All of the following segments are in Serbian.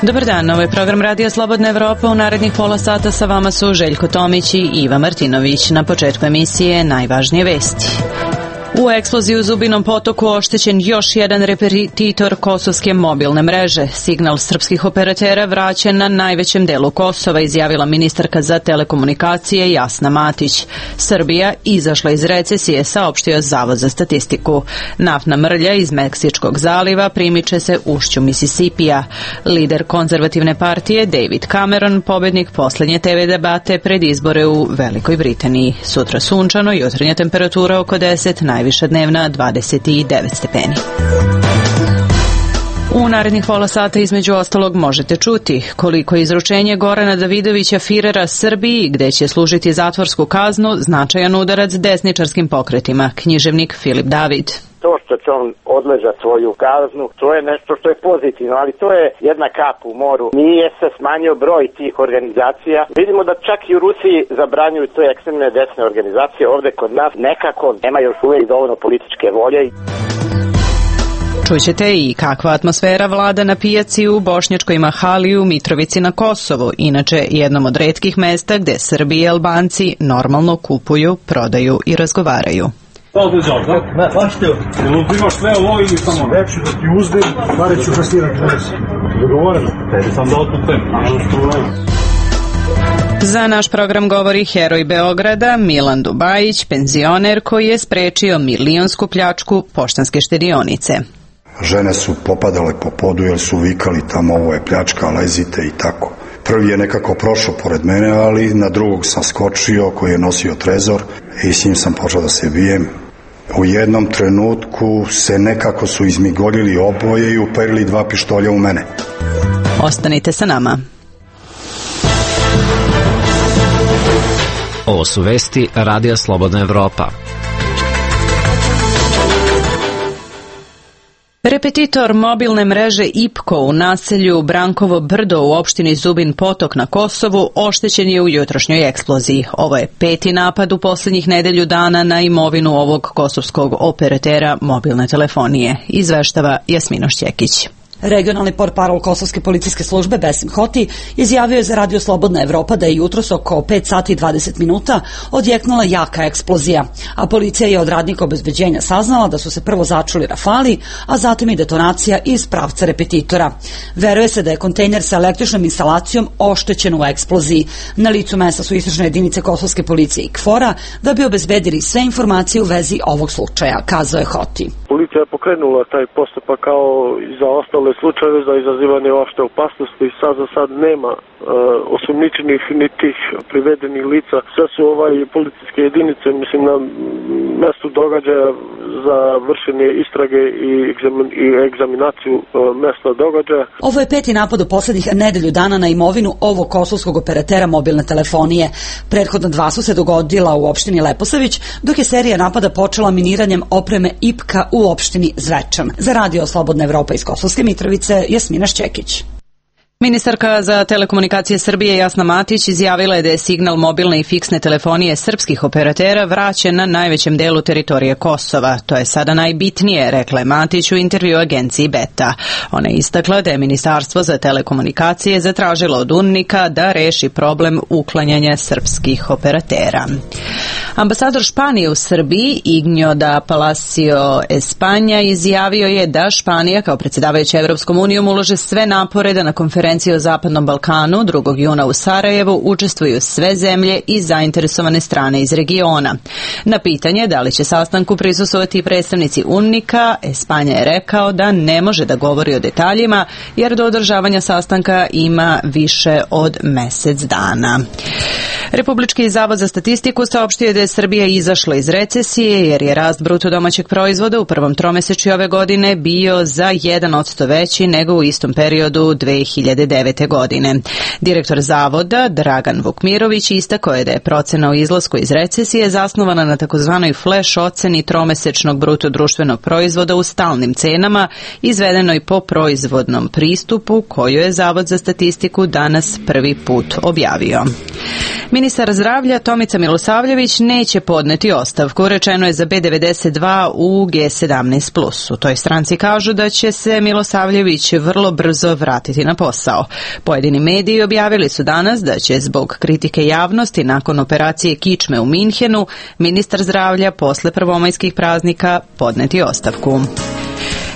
Dobar dan, ovo je program Radija Slobodna Evropa. U narednih pola sata sa vama su Željko Tomić i Iva Martinović. Na početku emisije najvažnije vesti. U eksploziji u Zubinom Potoku oštećen još jedan repetitor kosovske mobilne mreže. Signal srpskih operatera vraćen na najvećem delu Kosova, izjavila ministarka za telekomunikacije Jasna Matić. Srbija izašla iz recesije, saopštio Zavod za statistiku. Naftna mrlja iz Meksičkog zaliva primiče se ušću Misisipija. Lider konzervativne partije David Cameron, pobednik poslednje TV debate pred izbore u Velikoj Britaniji. Sutra sunčano, jutarnja temperatura oko 10, najviša dnevna 29 stepeni. U narednih pola sata između ostalog možete čuti koliko je izručenje Gorana Davidovića Firera Srbiji, gde će služiti zatvorsku kaznu, značajan udarac desničarskim pokretima. Književnik Filip David. To što će on odležati svoju kaznu, to je nešto što je pozitivno, ali to je jedna kap u moru. Nije se smanjio broj tih organizacija. Vidimo da čak i u Rusiji zabranjuju te ekstremne desne organizacije, ovde kod nas nekako nema još uvijek dovoljno političke volje. Čućete i kakva atmosfera vlada na pijaci u Bošnjačkoj Mahali u Mitrovici na Kosovu, inače jednom od retkih mesta gde Srbi i Albanci normalno kupuju, prodaju i razgovaraju. Imaš sve ovo ili samo reći da ti uzdim, pare ću kasirati dnes. Dogovoreno? Tebi sam dao tu temu. Za naš program govori heroj Beograda Milan Dubajić, penzioner koji je sprečio milionsku pljačku Poštanske štedionice. Žene su popadale po podu jer su vikali tamo ovo je pljačka, lezite i tako. Prvi je nekako prošao pored mene, ali na drugog sam skočio koji je nosio trezor i s njim sam počeo da se bijem. U jednom trenutku se nekako su izmigoljili oboje i uperili dva pištolja u mene. Ostanite sa nama. Ovo su vesti Radija Slobodna Evropa. Repetitor mobilne mreže IPKO u naselju Brankovo Brdo u opštini Zubin Potok na Kosovu oštećen je u jutrošnjoj eksploziji. Ovo je 5. napad u posljednjih nedelju dana na imovinu ovog kosovskog operatera mobilne telefonije, izveštava Jasmina Šćekić. Regionalni portparol Kosovske policijske službe Besim Hoti izjavio je za Radio Slobodna Evropa da je jutros oko 5 sati i 20 minuta odjeknula jaka eksplozija, a policija je od radnika obezbeđenja saznala da su se prvo začuli rafali, a zatim i detonacija iz pravca repetitora. Veruje se da je kontejner sa električnom instalacijom oštećen u eksploziji. Na licu mesta su istražne jedinice Kosovske policije i KFOR-a da bi obezbedili sve informacije u vezi ovog slučaja, kazao je Hoti. Policija je pokrenula taj postupak kao i za ostale slučajeve za izazivanje opšte opasnosti. Za sad nema osumnjičenih ni tih privedenih lica. Sve su policijske jedinice, mislim, na mestu događaja za vršenje istrage i egzaminaciju mesta događaja. Ovo je 5. napad u posljednjih nedelju dana na imovinu ovog kosovskog operatera mobilne telefonije. Prethodna 2 su se dogodila u opštini Leposavić, dok je serija napada počela miniranjem opreme IPKA u opštini Zvečan. Za Radio Slobodna Evropa iz Kosovske Mitrovice, Jasmina Šćekić. Ministarka za telekomunikacije Srbije Jasna Matić izjavila je da je signal mobilne i fiksne telefonije srpskih operatera vraćen na najvećem delu teritorije Kosova. To je sada najbitnije, rekla je Matić u intervju agenciji Beta. Ona je istakla da je Ministarstvo za telekomunikacije zatražilo od UNMIK-a da reši problem uklanjanja srpskih operatera. Ambasador Španije u Srbiji, Ignjo da Palacio Espanja, izjavio je da Španija kao predsjedavajuća Evropskom unijom ulože sve napore da na konferenciji o Zapadnom Balkanu 2. juna u Sarajevu učestvuju sve zemlje i zainteresovane strane iz regiona. Na pitanje da li će sastanku prisustvovati predstavnici UNMIK-a, Espanja je rekao da ne može da govori o detaljima jer do održavanja sastanka ima više od mesec dana. Republički zavod za statistiku saopštio da je Srbija izašla iz recesije jer je rast bruto domaćeg proizvoda u prvom tromesečju ove godine bio za 1% veći nego u istom periodu 2009. godine. Direktor zavoda Dragan Vukmirović istakao je da je procena o izlasku iz recesije zasnovana na takozvanoj flash oceni tromesečnog bruto društvenog proizvoda u stalnim cenama izvedenoj po proizvodnom pristupu koju je Zavod za statistiku danas prvi put objavio. Ministar zdravlja Tomica Milosavljević neće podneti ostavku, rečeno je za B92 u G17+. U toj stranci kažu da će se Milosavljević vrlo brzo vratiti na posao. Pojedini mediji objavili su danas da će zbog kritike javnosti nakon operacije kičme u Minhenu ministar zdravlja posle prvomajskih praznika podneti ostavku.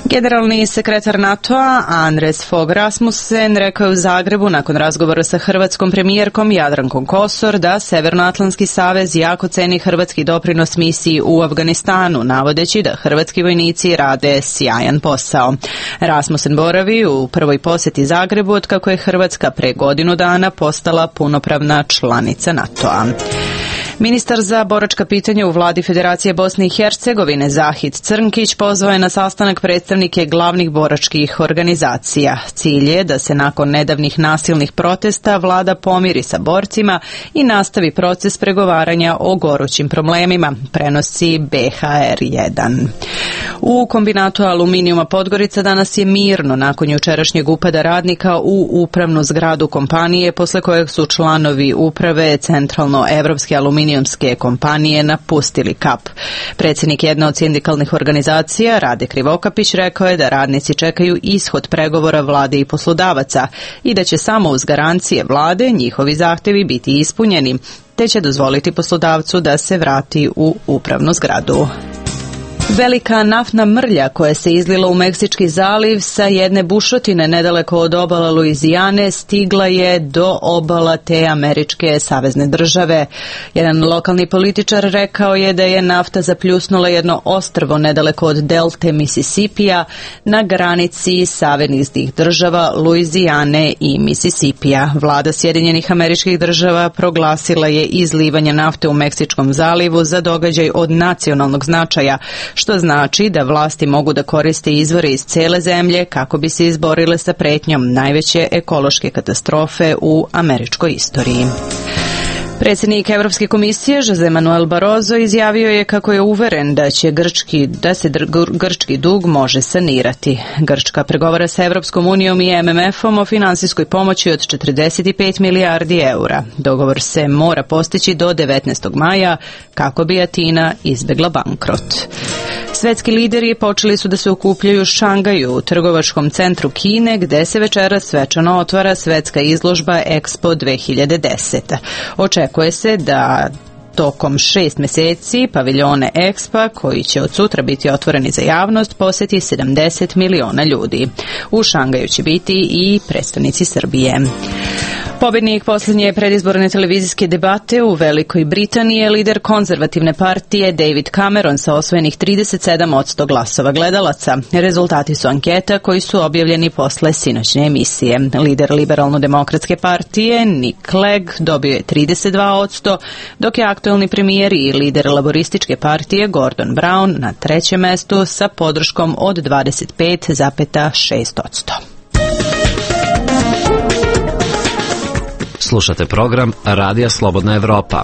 Generalni sekretar NATO-a Anders Fogh Rasmussen rekao je u Zagrebu nakon razgovora sa hrvatskom premijerkom Jadrankom Kosor da Severnoatlantski savez jako ceni hrvatski doprinos misiji u Afganistanu, navodeći da hrvatski vojnici rade sjajan posao. Rasmussen boravi u prvoj posjeti Zagrebu otkako je Hrvatska pre godinu dana postala punopravna članica NATO-a. Ministar za boračka pitanja u vladi Federacije Bosne i Hercegovine Zahid Crnkić pozvao je na sastanak predstavnike glavnih boračkih organizacija. Cilj je da se nakon nedavnih nasilnih protesta vlada pomiri sa borcima i nastavi proces pregovaranja o gorućim problemima, prenosi BHR1. U kombinatu aluminijuma Podgorica danas je mirno nakon jučerašnjeg upada radnika u upravnu zgradu kompanije, posle kojeg su članovi uprave Centralno-evropske aluminijumske kompanije napustili kap. Predsjednik jedne od sindikalnih organizacija, Rade Krivokapić, rekao je da radnici čekaju ishod pregovora vlade i poslodavaca i da će samo uz garancije vlade njihovi zahtevi biti ispunjeni, te će dozvoliti poslodavcu da se vrati u upravnu zgradu. Velika naftna mrlja koja se izlila u Meksički zaliv sa jedne bušotine nedaleko od obala Luizijane stigla je do obala te američke savezne države. Jedan lokalni političar rekao je da je nafta zapljusnula jedno ostrvo nedaleko od delte Misisipija na granici saveznih država Luizijane i Misisipija. Vlada Sjedinjenih Američkih Država proglasila je izlivanje nafte u Meksičkom zalivu za događaj od nacionalnog značaja, što znači da vlasti mogu da koriste izvore iz cele zemlje kako bi se izborile sa pretnjom najveće ekološke katastrofe u američkoj istoriji. Predsjednik Evropske komisije Jose Manuel Barroso izjavio je kako je uveren da se grčki dug može sanirati. Grčka pregovara sa Evropskom unijom i MMF-om o finansijskoj pomoći od 45 milijardi eura. Dogovor se mora postići do 19. maja kako bi Atina izbjegla bankrot. Svetski lideri počeli su da se okupljaju u Šangaju, u trgovačkom centru Kine, gde se večeras svečano otvara svetska izložba Expo 2010. Očekuje se da tokom 6 meseci paviljone Expa, koji će od sutra biti otvoreni za javnost, posjeti 70 miliona ljudi. U Šangaju će biti i predstavnici Srbije. Pobjednik posljednje predizborne televizijske debate u Velikoj Britaniji je lider konzervativne partije David Cameron sa osvojenih 37% glasova gledalaca. Rezultati su anketa koji su objavljeni posle sinoćne emisije. Lider liberalno-demokratske partije Nick Clegg dobio je 32%, dok je aktuelni premijer i lider laborističke partije Gordon Brown na trećem mestu sa podrškom od 25,6%. Slušate program Radija Slobodna Evropa.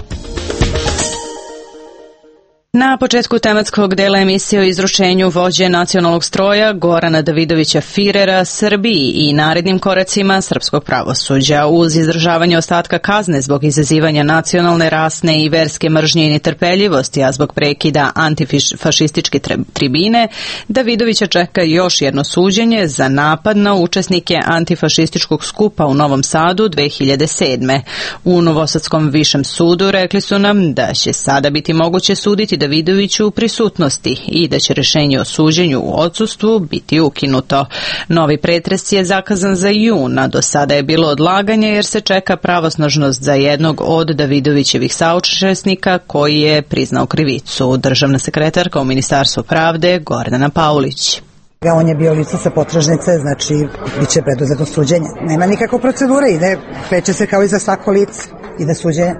Na početku tematskog dela emisije o izručenju vođe nacionalnog stroja Gorana Davidovića Firera Srbiji i narednim koracima srpskog pravosuđa. Uz izdržavanje ostatka kazne zbog izazivanja nacionalne, rasne i verske mržnje i netrpeljivosti, a zbog prekida antifašističke tribine, Davidovića čeka još jedno suđenje za napad na učesnike antifašističkog skupa u Novom Sadu 2007. U Novosadskom višem sudu rekli su nam da će sada biti moguće suditi Davidoviću u prisutnosti i da će rješenje o suđenju u odsustvu biti ukinuto. Novi pretres je zakazan za jun, a do sada je bilo odlaganje jer se čeka pravosnažnost za jednog od Davidovićevih saučesnika koji je priznao krivicu. Državna sekretarka u Ministarstvu pravde Gordana Paulić. On je bio lice sa potražnice, znači biće preduzeto suđenje. Nema nikakve procedure, kreće se kao i za svako lice, ide suđenje.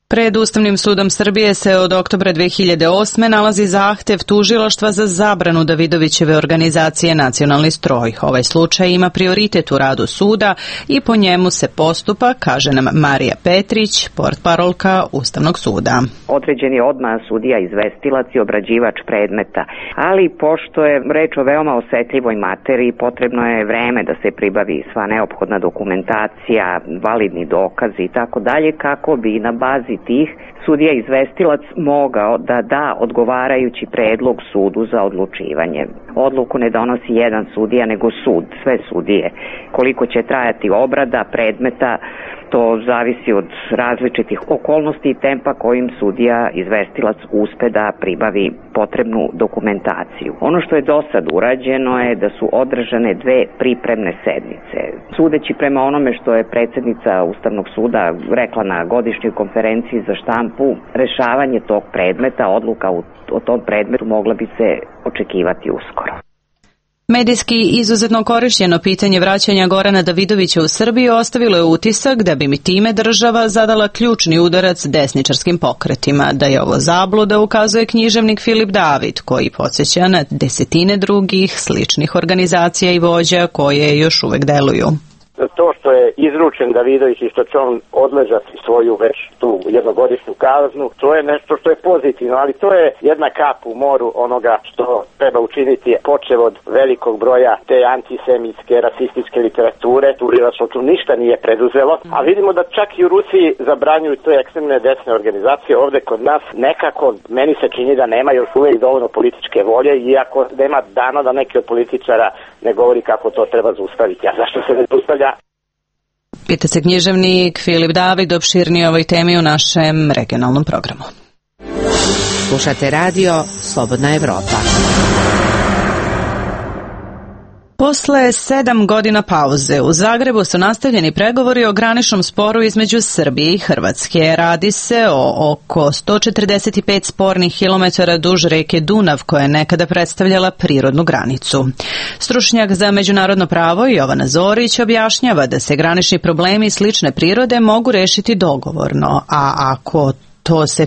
Pred Ustavnim sudom Srbije se od oktobra 2008. nalazi zahtev tužilaštva za zabranu Davidovićeve organizacije Nacionalni stroj. Ovaj slučaj ima prioritet u radu suda i po njemu se postupa, kaže nam Marija Petrić, portparolka Ustavnog suda. Određen je odmah sudija izvestilac i obrađivač predmeta, ali pošto je reč o veoma osetljivoj materiji, potrebno je vreme da se pribavi sva neophodna dokumentacija, validni dokazi i tako dalje, kako bi na bazi tih sudija izvestilac mogao da da odgovarajući predlog sudu za odlučivanje. Odluku ne donosi jedan sudija, nego sud, sve sudije. Koliko će trajati obrada predmeta, to zavisi od različitih okolnosti i tempa kojim sudija izvestilac uspe da pribavi potrebnu dokumentaciju. Ono što je do sad urađeno je da su održane 2 pripremne sednice. Sudeći prema onome što je predsjednica Ustavnog suda rekla na godišnjoj konferenciji za štampu, rešavanje tog predmeta, odluka o tom predmetu mogla bi se očekivati uskoro. Medijski izuzetno korišćeno pitanje vraćanja Gorana Davidovića u Srbiju ostavilo je utisak da bi mi time država zadala ključni udarac desničarskim pokretima. Da je ovo zabluda ukazuje književnik Filip David, koji podsjeća na desetine drugih sličnih organizacija i vođa koje još uvek deluju. To što je izručen Davidović i što će on odležati svoju već tu jednogodišnju kaznu, to je nešto što je pozitivno, ali to je jedna kap u moru onoga što treba učiniti, počev od velikog broja te antisemitske, rasističke literature. Tužilaštvo tu ništa nije preduzelo, a vidimo da čak i u Rusiji zabranjuju te ekstremne desne organizacije. Ovde kod nas nekako, meni se čini da nema još uvijek dovoljno političke volje, iako nema dana da neki od političara ne govori kako to treba zaustaviti. A zašto se ne zaustavlja? Pita se književnik Filip David, opširnije o ovoj temi u našem regionalnom programu. Slušate radio Slobodna Evropa. Posle 7 godina pauze u Zagrebu su nastavljeni pregovori o graničnom sporu između Srbije i Hrvatske. Radi se o oko 145 spornih kilometara duž reke Dunav, koja je nekada predstavljala prirodnu granicu. Stručnjak za međunarodno pravo Jovana Zorić objašnjava da se granični problemi slične prirode mogu rešiti dogovorno, a ako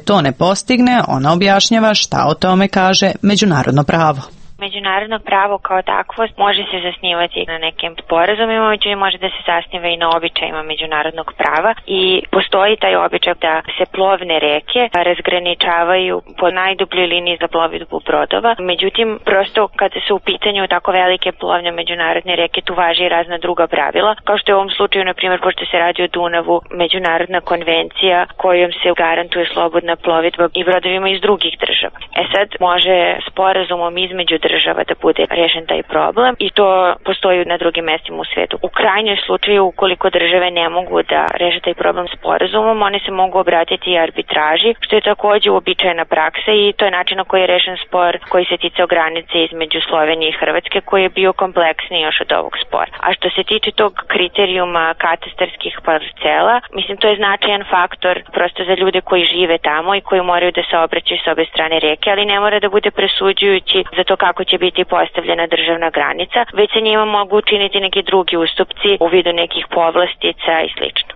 to ne postigne, ona objašnjava šta o tome kaže međunarodno pravo. Međunarodno pravo kao takvo može se zasnivati na nekim sporazumima, međutim može da se zasniva i na običajima međunarodnog prava i postoji taj običaj da se plovne reke razgraničavaju po najdubljoj liniji za plovidbu brodova. Međutim, prosto kada su u pitanju tako velike plovne međunarodne reke, tu važi i razna druga pravila, kao što je u ovom slučaju, na primjer, pošto se radi o Dunavu, međunarodna konvencija kojom se garantuje slobodna plovidba i brodovima iz drugih država. Sad može sporazumom između država da bude rešen taj problem i to postoji na drugim mestima u svetu. U krajnjoj slučaju, ukoliko države ne mogu da reše taj problem sporazumom, one se mogu obratiti i arbitraži, što je takođe uobičajena praksa i to je način na koji je rešen spor koji se ticao granice između Slovenije i Hrvatske, koji je bio kompleksniji još od ovog spora. A što se tiče tog kriterijuma katastarskih parcela, mislim, to je značajan faktor prosto za ljude koji žive tamo i koji moraju da se obraćaju s obe strane reke, ali ne mora da bude presuđujući za to kako će biti postavljena državna granica, već se njima mogu učiniti neki drugi ustupci u vidu nekih povlastica i slično.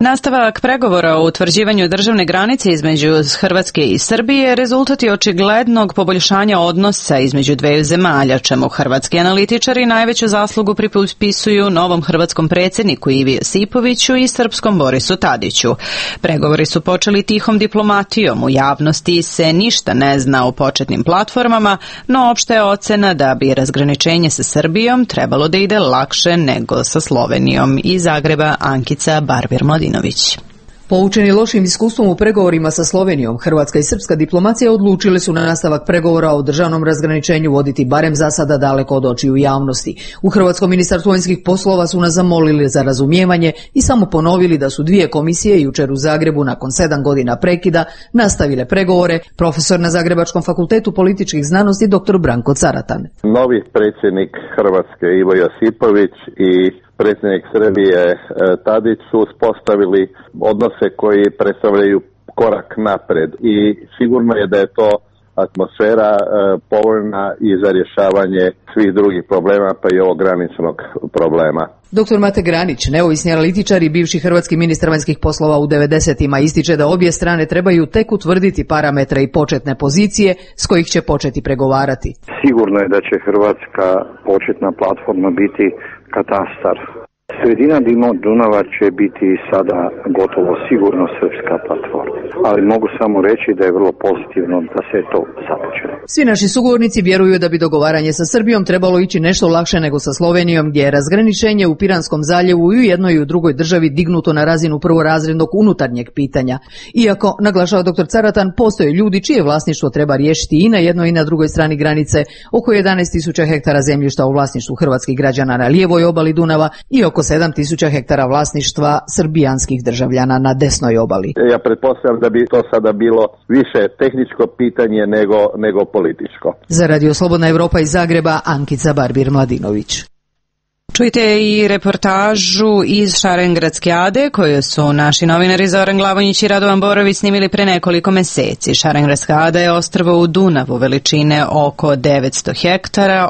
Nastavak pregovora o utvrđivanju državne granice između Hrvatske i Srbije rezultat je očiglednog poboljšanja odnosa između dveju zemalja, čemu hrvatski analitičari najveću zaslugu pripisuju novom hrvatskom predsjedniku Ivi Josipoviću i srpskom Borisu Tadiću. Pregovori su počeli tihom diplomatijom, u javnosti se ništa ne zna o početnim platformama, no opšta je ocena da bi razgraničenje sa Srbijom trebalo da ide lakše nego sa Slovenijom. Iz Zagreba Ankica Barbir-Mladinović. Poučeni lošim iskustvom u pregovorima sa Slovenijom, hrvatska i srpska diplomacija odlučili su na nastavak pregovora o državnom razgraničenju voditi barem za sada daleko od očiju javnosti. U Hrvatskom ministarstvu vanjskih poslova su nas zamolili za razumijevanje i samo ponovili da su 2 komisije jučer u Zagrebu nakon 7 godina prekida nastavile pregovore, profesor na Zagrebačkom fakultetu političkih znanosti dr. Branko Caratan. Novi predsjednik Hrvatske Ivo Josipović i predsjednik Srbije Tadić su uspostavili odnose koji predstavljaju korak napred i sigurno je da je to atmosfera povoljna i za rješavanje svih drugih problema, pa i ovog graničnog problema. Dr. Mate Granić, neovisni analitičar i bivši hrvatski ministar vanjskih poslova u 90-ima, ističe da obje strane trebaju tek utvrditi parametre i početne pozicije s kojih će početi pregovarati. Sigurno je da će hrvatska početna platforma biti katastar. Sredina Dunava će biti sada gotovo sigurno srpska platforma, ali mogu samo reći da je vrlo pozitivno da se to započelo. Svi naši sugovornici vjeruju da bi dogovaranje sa Srbijom trebalo ići nešto lakše nego sa Slovenijom, gdje je razgraničenje u Piranskom zaljevu i u jednoj i u drugoj državi dignuto na razinu prvorazrednog unutarnjeg pitanja. Iako, naglašava dr. Caratan, postoje ljudi čije vlasništvo treba riješiti i na jednoj i na drugoj strani granice, oko 11.000 hektara zemljišta u vlasništvu hrvatskih građana na lijevoj obali Dunava i oko 7.000 hektara vlasništva srbijanskih državljana na desnoj obali. Ja pretpostavljam da bi to sada bilo više tehničko pitanje nego političko. Za Radio Slobodna Evropa iz Zagreba, Ankica Barbir-Mladinović. Čujte i reportažu iz Šarengradske ade koju su naši novinari Zoran Glavonjić i Radovan Borović snimili pre nekoliko meseci. Šarengradska ada je ostrvo u Dunavu veličine oko 900 hektara,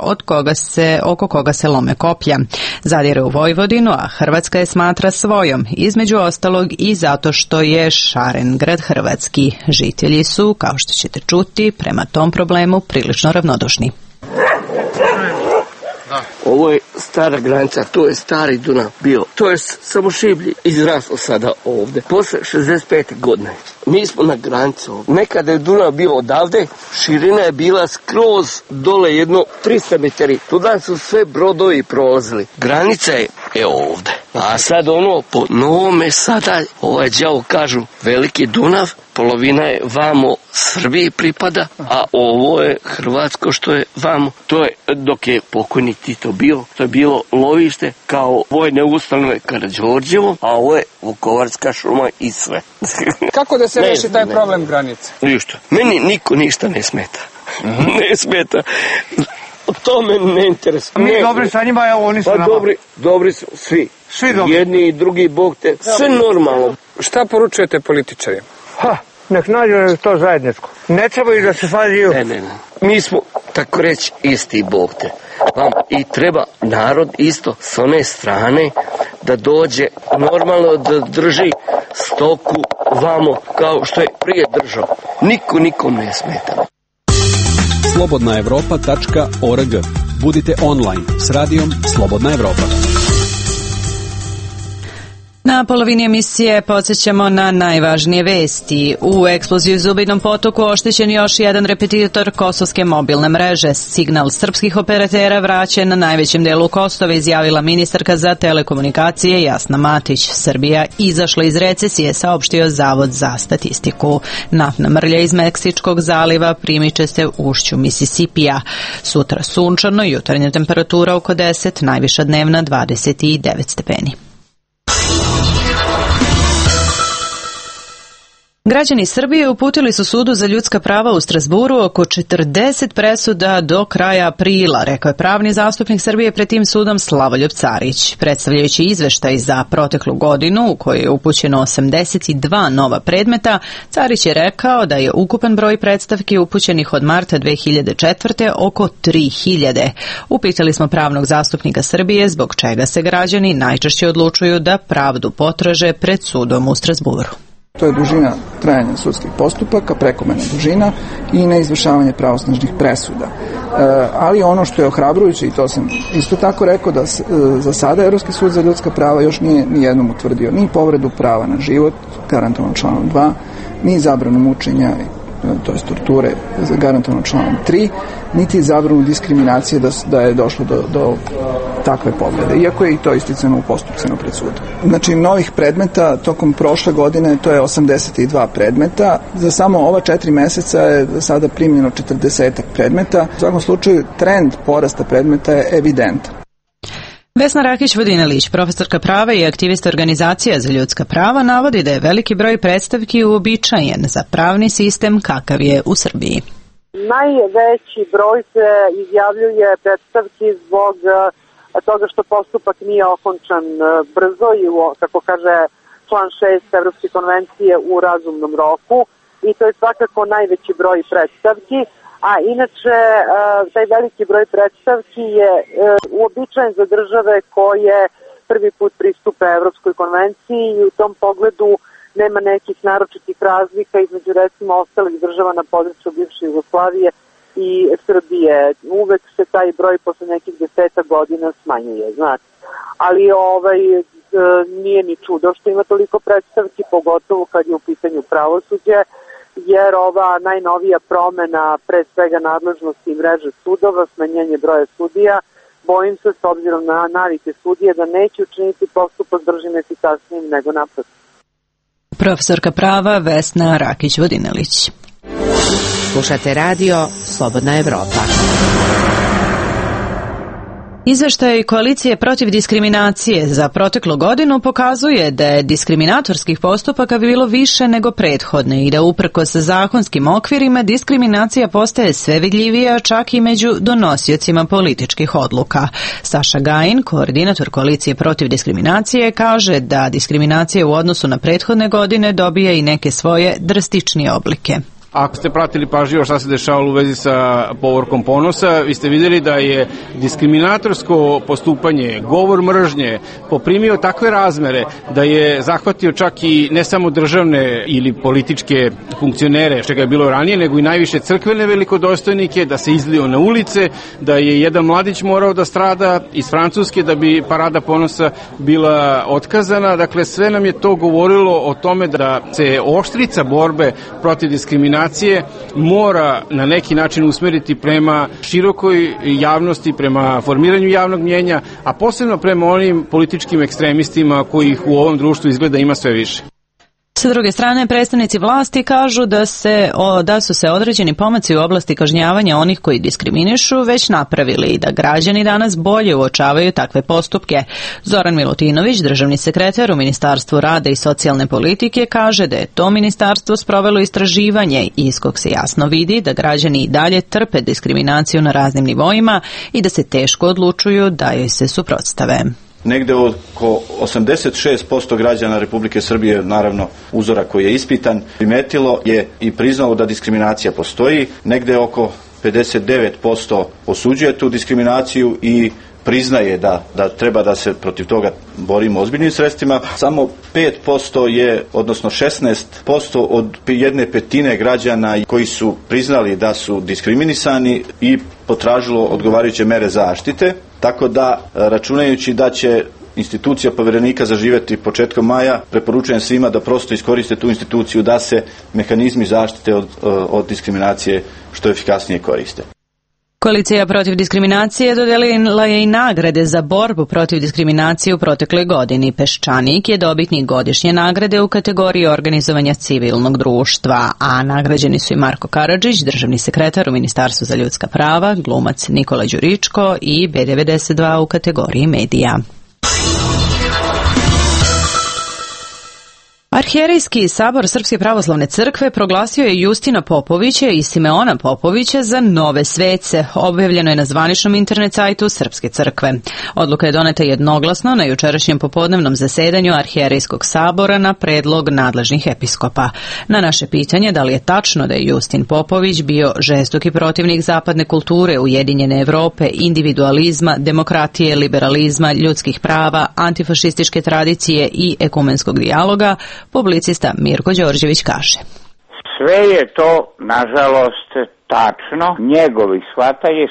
oko koga se lome koplja. Zadire u Vojvodinu, a Hrvatska je smatra svojom, između ostalog i zato što je Šarengrad hrvatski. Žitelji su, kao što ćete čuti, prema tom problemu prilično ravnodušni. Ovo je stara granica, to je stari Dunav bio. To je samo šiblji izraslo sada ovdje. Posle 65. godine. Mi smo na granici ovdje. Nekada je Dunav bio odavde, širina je bila skroz dole jedno 300 metri. Tuda su sve brodovi prolazili. Granica je ovdje. A sad po novome sada, đavo kažu veliki Dunav, polovina je vamo Srbiji pripada, a ovo je Hrvatsko što je vamo. To je, dok je pokojnik Tito bio, to je bilo lovište kao vojne ustanove Karađorđevo, a ovo je Vukovarska šuma i sve. Kako da se reši taj problem granice? Ništa. Meni niko ništa ne smeta. Ne smeta. To me ne interesuje. Mi dobri sa njima, evo oni su nama. Dobri su svi. Svi dobri. Jedni i drugi, Bog te. Sve normalno. Šta poručujete političarima? Nek nađu to zajedničko. Ne trebaju da se svađaju. Ne. Mi smo, tako reći, isti, Bog te. I treba narod isto s one strane da dođe normalno da drži stoku vamo kao što je prije držao. Niko nikom ne smeta. slobodnaevropa.org. Budite online s radijom Slobodna Evropa. Na polovini emisije podsjećamo na najvažnije vesti. U eksploziji u Zubinom potoku oštećen još jedan repetitor kosovske mobilne mreže. Signal srpskih operatera vraćen na najvećem delu Kosova, izjavila ministarka za telekomunikacije Jasna Matić. Srbija izašla iz recesije, saopštio Zavod za statistiku. Naftna mrlja iz Meksičkog zaliva primiče se u ušću Misisipija. Sutra sunčano, jutarnja temperatura oko 10, najviša dnevna 29 stepeni. Građani Srbije uputili su Sudu za ljudska prava u Strazburu oko 40 presuda do kraja aprila, rekao je pravni zastupnik Srbije pred tim sudom Slavoljub Carić. Predstavljajući izveštaj za proteklu godinu u kojoj je upućeno 82 nova predmeta, Carić je rekao da je ukupan broj predstavki upućenih od marta 2004. oko 3000. Upitali smo pravnog zastupnika Srbije zbog čega se građani najčešće odlučuju da pravdu potraže pred sudom u Strazburu. To je dužina trajanja sudskih postupaka, prekomerna dužina i neizvršavanje pravosnažnih presuda. Ali ono što je ohrabrujuće, i to sam isto tako rekao, da za sada Evropski sud za ljudska prava još nije nijednom utvrdio ni povredu prava na život, garantovan članom 2, ni zabranu mučenja, to je torture, garantovan članom 3, niti zabranu diskriminacije da je došlo do takve povrede, iako je i to isticano u postupcima pred sudom. Znači, novih predmeta tokom prošle godine to je 82 predmeta. Za samo ova 4 meseca je sada primljeno 40 predmeta. U svakom slučaju, trend porasta predmeta je evidentan. Vesna Rakić-Vodinelić, profesorka prava i aktivista organizacija za ljudska prava, navodi da je veliki broj predstavki uobičajen za pravni sistem kakav je u Srbiji. Najveći broj se izjavljuje predstavki zbog toga što postupak nije okončan brzo i, kako kaže član 6 Evropske konvencije, u razumnom roku. i to je svakako najveći broj predstavki. A inače, taj veliki broj predstavki je uobičajen za države koje prvi put pristupe Evropskoj konvenciji i u tom pogledu nema nekih naročitih razlika između recimo ostalih država na području bivše Jugoslavije i Srbije. Uvek se taj broj posle nekih 10 godina smanjuje, znate. Ali nije ni čudo što ima toliko predstavki, pogotovo kad je u pitanju pravosuđe, jer ova najnovija promena, pre svega nadležnosti i mreže sudova, smanjenje broja sudija, bojim se s obzirom na navike sudije da neće učiniti postupak bržim efikasnijim nego naprotiv. Profesorka prava Vesna Rakić-Vodinelić. Slušate radio Slobodna Evropa. Izveštaj Koalicije protiv diskriminacije za proteklu godinu pokazuje da je diskriminatorskih postupaka bilo više nego prethodne i da uprkos zakonskim okvirima diskriminacija postaje sve vidljivija čak i među donosiocima političkih odluka. Saša Gajin, koordinator Koalicije protiv diskriminacije, kaže da diskriminacija u odnosu na prethodne godine dobija i neke svoje drastičnije oblike. Ako ste pratili pažljivo šta se dešavalo u vezi sa povorkom ponosa, vi ste vidjeli da je diskriminatorsko postupanje, govor mržnje poprimio takve razmere da je zahvatio čak i ne samo državne ili političke funkcionere, što ga je bilo ranije, nego i najviše crkvene velikodostojnike, da se izlio na ulice, da je jedan mladić morao da strada iz Francuske da bi parada ponosa bila otkazana. Dakle, sve nam je to govorilo o tome da se oštrica borbe protiv diskriminacije mora na neki način usmeriti prema širokoj javnosti, prema formiranju javnog mnjenja, a posebno prema onim političkim ekstremistima kojih u ovom društvu izgleda ima sve više. Sa druge strane, predstavnici vlasti kažu da su se određeni pomaci u oblasti kažnjavanja onih koji diskriminišu već napravili i da građani danas bolje uočavaju takve postupke. Zoran Milutinović, državni sekretar u Ministarstvu rada i socijalne politike, kaže da je to ministarstvo sprovelo istraživanje iz kog se jasno vidi da građani i dalje trpe diskriminaciju na raznim nivoima i da se teško odlučuju da joj se suprotstave. Negde oko 86% građana Republike Srbije, naravno uzora koji je ispitan, primetilo je i priznalo da diskriminacija postoji. Negde oko 59% osuđuje tu diskriminaciju i priznaje da treba da se protiv toga borimo ozbiljnim sredstvima. Samo 5% je, odnosno 16% od 1/5 građana koji su priznali da su diskriminisani i potražilo odgovarajuće mere zaštite. Tako da, računajući da će institucija Poverenika zaživeti početkom maja, preporučujem svima da prosto iskoriste tu instituciju da se mehanizmi zaštite od diskriminacije što efikasnije koriste. Koalicija protiv diskriminacije dodelila je i nagrade za borbu protiv diskriminacije u protekloj godini. Peščanik je dobitnik godišnje nagrade u kategoriji organizovanja civilnog društva, a nagrađeni su i Marko Karadžić, državni sekretar u Ministarstvu za ljudska prava, glumac Nikola Đuričko i B92 u kategoriji medija. Arhijerejski sabor Srpske pravoslavne crkve proglasio je Justina Popovića i Simeona Popovića za nove svece. Objavljeno je na zvaničnom internet sajtu Srpske crkve. Odluka je doneta jednoglasno na jučerašnjem popodnevnom zasedanju Arhijerejskog sabora na predlog nadležnih episkopa. Na naše pitanje da li je tačno da je Justin Popović bio žestoki protivnik zapadne kulture, ujedinjene Evrope, individualizma, demokratije, liberalizma, ljudskih prava, antifašističke tradicije i ekumenskog dijaloga, publicista Mirko Đorđević kaže: Sve je to, nažalost, tačno. Njegovi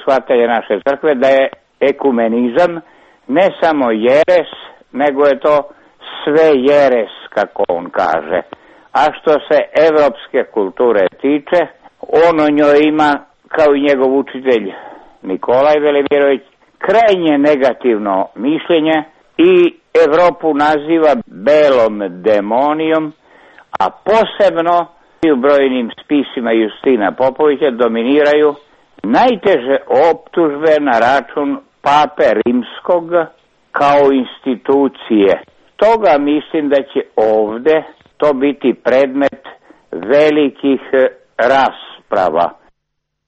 shvatanje naše crkve da je ekumenizam ne samo jeres, nego je to sve jeres, kako on kaže. A što se evropske kulture tiče, on o njoj ima, kao i njegov učitelj Nikolaj Velimirović, krajnje negativno mišljenje i Evropu naziva belom demonijom, a posebno u brojnim spisima Justina Popovića dominiraju najteže optužbe na račun Pape Rimskog kao institucije. Toga mislim da će ovde to biti predmet velikih rasprava.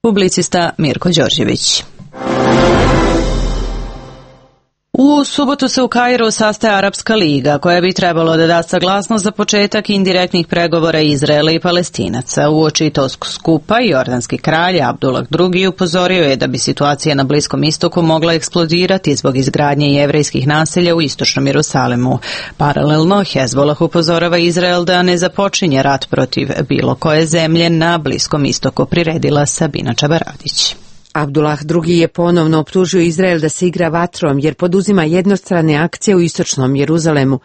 Publicista Mirko Đorđević. U subotu se u Kairu sastaje Arapska liga, koja bi trebalo da da saglasnost za početak indirektnih pregovora Izraela i Palestinaca. Uoči tog skupa jordanski kralj Abdullah II upozorio je da bi situacija na Bliskom istoku mogla eksplodirati zbog izgradnje jevrejskih naselja u istočnom Jerusalimu. Paralelno, Hezbollah upozorava Izrael da ne započinje rat protiv bilo koje zemlje na Bliskom istoku, priredila Sabina Čabaradić. Abdullah II je ponovno optužio Izrael da se igra vatrom jer poduzima jednostrane akcije u istočnom Jeruzalemu.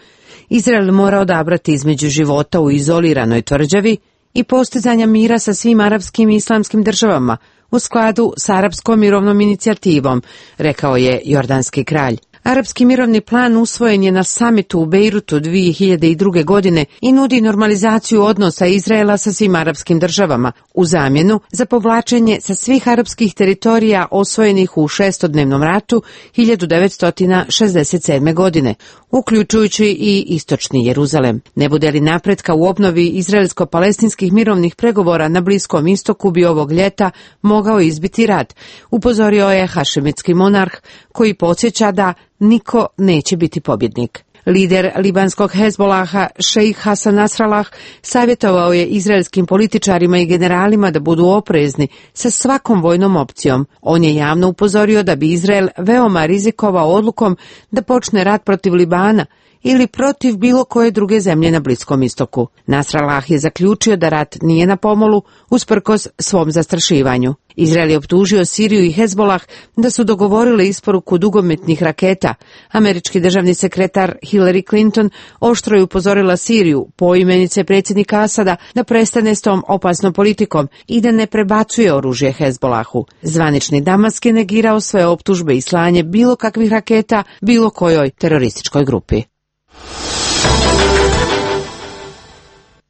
Izrael mora odabrati između života u izoliranoj tvrđavi i postizanja mira sa svim arapskim i islamskim državama u skladu s arapskom mirovnom inicijativom, rekao je jordanski kralj. Arapski mirovni plan usvojen je na samitu u Bejrutu 2002. godine i nudi normalizaciju odnosa Izraela sa svim arapskim državama u zamjenu za povlačenje sa svih arapskih teritorija osvojenih u šestodnevnom ratu 1967. godine, uključujući i istočni Jeruzalem. Ne bude li napretka u obnovi izraelsko-palestinskih mirovnih pregovora na Bliskom istoku bi ovog ljeta mogao izbiti rat, upozorio je hašemitski monarh koji podsjeća da niko neće biti pobjednik. Lider libanskog Hezbolaha, šejh Hasan Nasrallah, savjetovao je izraelskim političarima i generalima da budu oprezni sa svakom vojnom opcijom. On je javno upozorio da bi Izrael veoma rizikovao odlukom da počne rat protiv Libana ili protiv bilo koje druge zemlje na Bliskom istoku. Nasrallah je zaključio da rat nije na pomolu usprkos svom zastrašivanju. Izrael je optužio Siriju i Hezbolah da su dogovorili isporuku dugometnih raketa. Američki državni sekretar Hillary Clinton oštro je upozorila Siriju, poimenice predsjednika Asada, da prestane s tom opasnom politikom i da ne prebacuje oružje Hezbolahu. Zvanični Damask je negirao sve optužbe i slanje bilo kakvih raketa bilo kojoj terorističkoj grupi.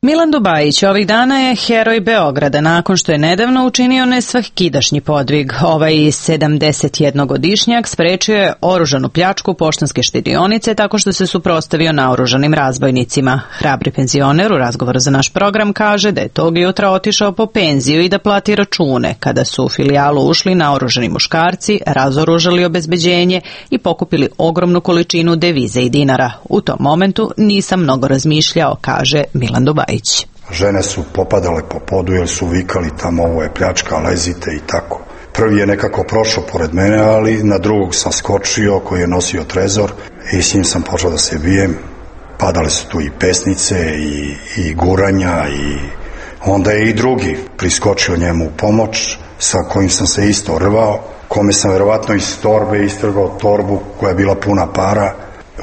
Milan Dubajić ovih dana je heroj Beograda nakon što je nedavno učinio nesvakidašnji podvig. Ovaj 71-godišnjak sprečio je oružanu pljačku poštanske štedionice tako što se suprotstavio naoružanim razbojnicima. Hrabri penzioner u razgovoru za naš program kaže da je tog jutra otišao po penziju i da plati račune kada su u filijalu ušli naoružani muškarci, razoružali obezbeđenje i pokupili ogromnu količinu devize i dinara. U tom momentu nisam mnogo razmišljao, kaže Milan Dubajić. Žene su popadale po podu jer su vikali tamo ovo je pljačka, lezite i tako. Prvi je nekako prošao pored mene, ali na drugog sam skočio koji je nosio trezor i s njim sam počeo da se bijem. Padale su tu i pesnice i guranja i onda je i drugi priskočio njemu u pomoć sa kojim sam se isto rvao, kome sam verovatno iz torbe istrgao torbu koja je bila puna para.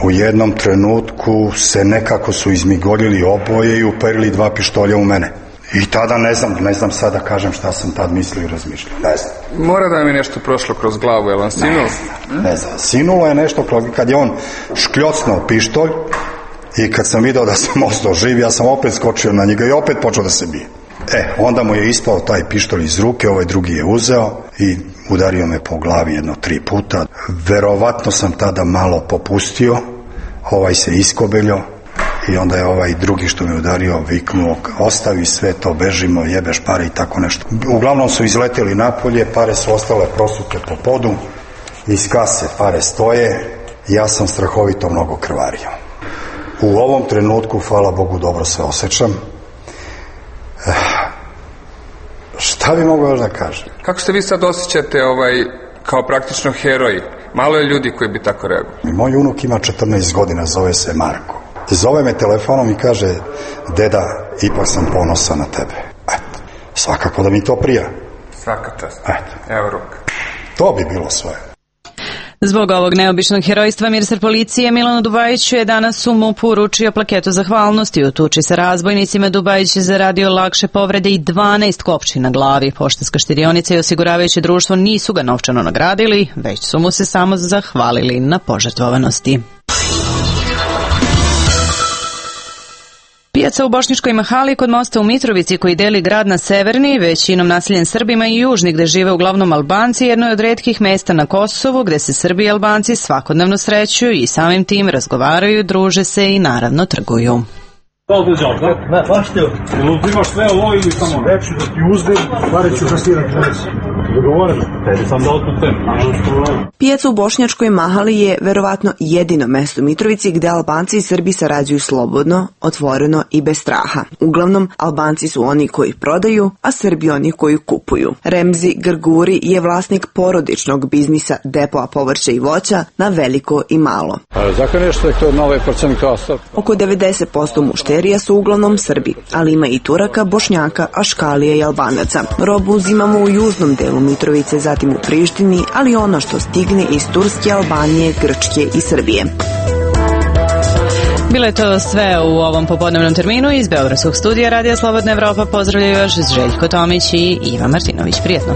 U jednom trenutku se nekako su izmigoljili oboje i uperili 2 pištolja u mene. I tada ne znam sad da kažem šta sam tad mislio i razmišljao. Ne znam. Mora da mi nešto prošlo kroz glavu, je li on sinulo? Ne znam. Sinulo je nešto kad je on škljocnuo pištolj i kad sam video da sam ostao živ, ja sam opet skočio na njega i opet počeo da se bije. Onda mu je ispao taj pištolj iz ruke, ovaj drugi je uzeo i udario me po glavi 3 puta. Verovatno sam tada malo popustio, ovaj se iskobeljao i onda je ovaj drugi što me udario viknuo ostavi sve to, bežimo, jebeš pare i tako nešto. Uglavnom su izleteli napolje, pare su ostale prosute po podu, iz kase pare stoje, ja sam strahovito mnogo krvario. U ovom trenutku, hvala Bogu, dobro se osjećam. Šta bi mogao još da kažem? Kako se vi sad osjećate kao praktično heroj? Malo je ljudi koji bi tako reagovali. Moj unuk ima 14 godina, zove se Marko. Zove me telefonom i kaže, deda, ipak sam ponosan na tebe. Svakako da mi to prija. Svaka čast. Evo ruka. To bi bilo sve. Zbog ovog neobičnog herojstva ministar policije Milanu Dubajiću je danas u MUP-u uručio plaketu zahvalnosti. U tuči sa razbojnicima Dubajić je zaradio lakše povrede i 12 kopči na glavi. Poštanska štedionica i osiguravajuće društvo nisu ga novčano nagradili, već su mu se samo zahvalili na požrtvovanosti. Pijaca u Bošnjačkoj Mahali kod mosta u Mitrovici koji deli grad na severni, većinom naseljen Srbima i južni gde žive uglavnom Albanci, jedno je od retkih mesta na Kosovu gde se Srbi i Albanci svakodnevno srećuju i samim tim razgovaraju, druže se i naravno trguju. Imaš sve ovo ili samo reći da ti uzdim, pare ću kasirati. Pijaca u Bošnjačkoj Mahali je verovatno jedino mesto u Mitrovici gde Albanci i Srbi sarađuju slobodno, otvoreno i bez straha. Uglavnom, Albanci su oni koji prodaju, a Srbi oni koji kupuju. Remzi Grguri je vlasnik porodičnog biznisa depoa povrća i voća na veliko i malo. Oko 90% mušterija su uglavnom Srbi, ali ima i Turaka, Bošnjaka, Aškalija i Albanaca. Robu uzimamo u južnom delu Mitrovice, zatim u Prištini, ali ono što stigne iz Turske, Albanije, Grčke i Srbije. Bilo je to sve u ovom popodnevnom terminu. Iz Beogradskog studija Radija Slobodna Evropa pozdravljaju još Željko Tomić i Iva Martinović. Prijetno.